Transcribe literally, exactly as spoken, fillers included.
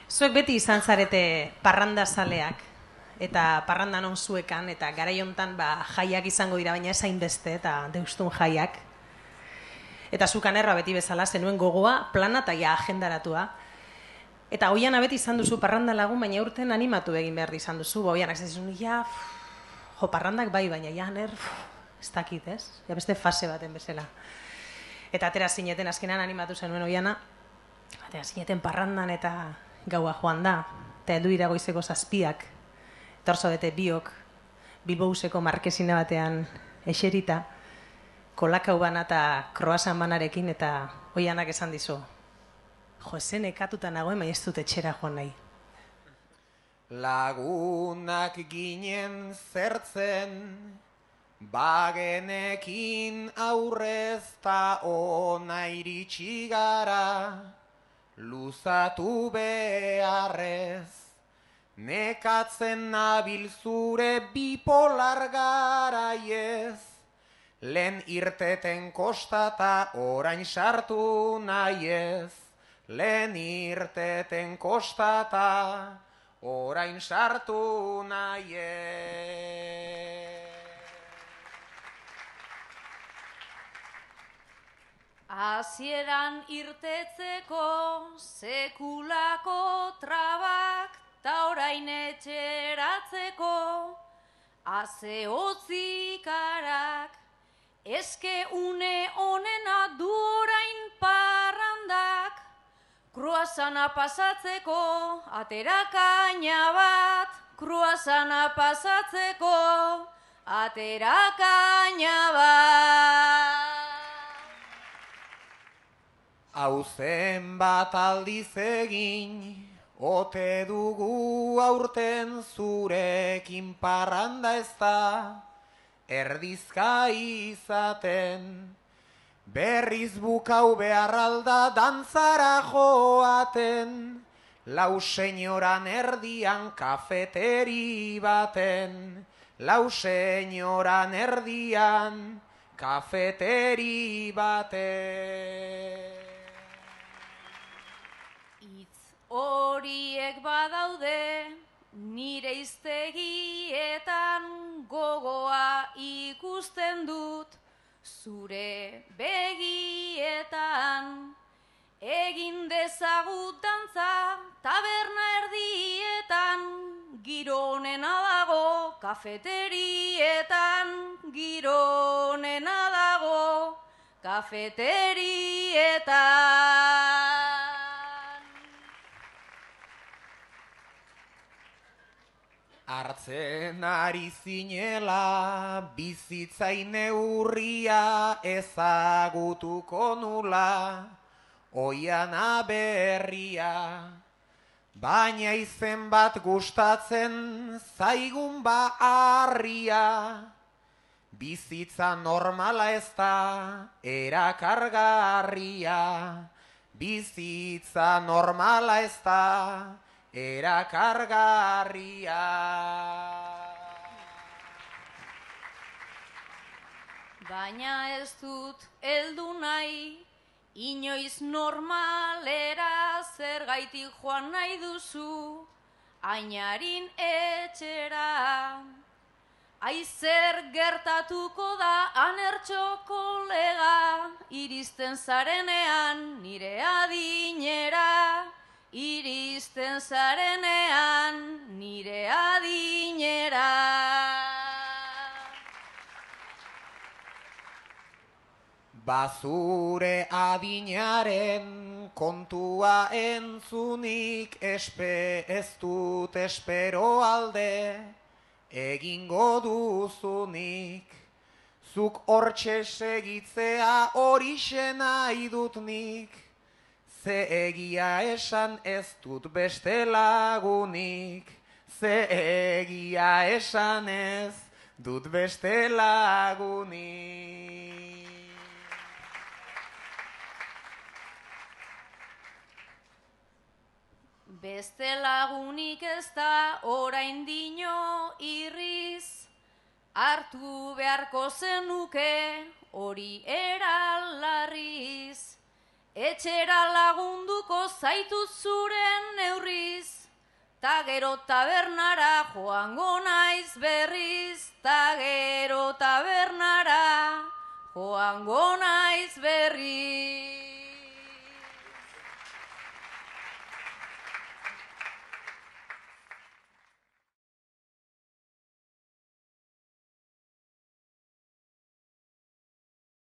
Zuek beti izan zarete parrandazaleak, eta parrandan on zuekan, eta garai hontan ba, jaiak izango dira, baina ezain beste, eta deustun jaiak. Eta zukanerra beti bezala, zenuen gogoa, plana eta ja agendaratua. Eta Oiana beti izan duzu parranda lagun, baina urten animatu egin behar izan duzu. Ba, Oianak ez dizun, ja, jo, parrandak bai, baina ja, ner, ez dakit, ez? Ja, beste fase baten bezala. Eta atera zineten azkenan animatu zenuen Oiana, atera zineten parrandan eta gaua joan da, eta heldu dira goizeko zazpiak, eta hor zaudete biok, Bilbouseko markesina batean eserita, kolakau bana eta kroasan banarekin, eta Oianak esan dizu, jo, zen ekatuta nagoen, baina ez dut etxera joan nahi. Lagunak ginen zertzen, bagenekin aurrez ta ona iritsi gara, luzatu beharrez, nekatzen nabil zure bipolar garaiez, lehen irteten kostata orain sartu nahiez, lehen irteten kostata orain sartu nahiez. Hasieran irtetzeko sekulako trabak, ta orain etxeratzeko haze hotzikarak, eske une onena du orain parrandak, kruasana pasatzeko aterakaina bat, kruasana pasatzeko aterakaina bat. Hauzen bat aldiz egin, ote dugu aurten zurekin parranda ez da, erdizka izaten, berriz bukau behar alda dantzara joaten, lau senyoran erdian kafeteri baten, lau senyoran erdian kafeteri baten. Horiek badaude nire iztegietan, gogoa ikusten dut zure begietan. Egin dezagut dantza taberna erdietan, giro onena dago kafeterietan, giro onena dago kafeterietan. Hartzen ari zinela bizitzain neurria ezagutuko nula, Oiana berria, baina izen bat gustatzen zaigun ba harria, bizitza normala ez da erakargarria, bizitza normala ez da erakargarria. Baina ez dut heldu nahi, inoiz normalera, zergaitik joan nahi duzu Ainarin etxera. Aizer gertatuko da anertxo kolega, iristen zarenean nire adinera, iristen zarenean nire adinera. Bazure adinaren kontua entzunik espe ez dut espero alde egingo duzunik. Zuk hortxe segitzea horixe nahi dut nik, ze egia esan ez dut beste lagunik, ze egia esan ez dut beste lagunik. Beste lagunik ez da orain dino irriz, hartu beharko zenuke hori eralarriz. Etxera lagunduko zaitut zuren neurriz, ta gero tabernara joango naiz berriz, ta gero tabernara joango naiz berriz.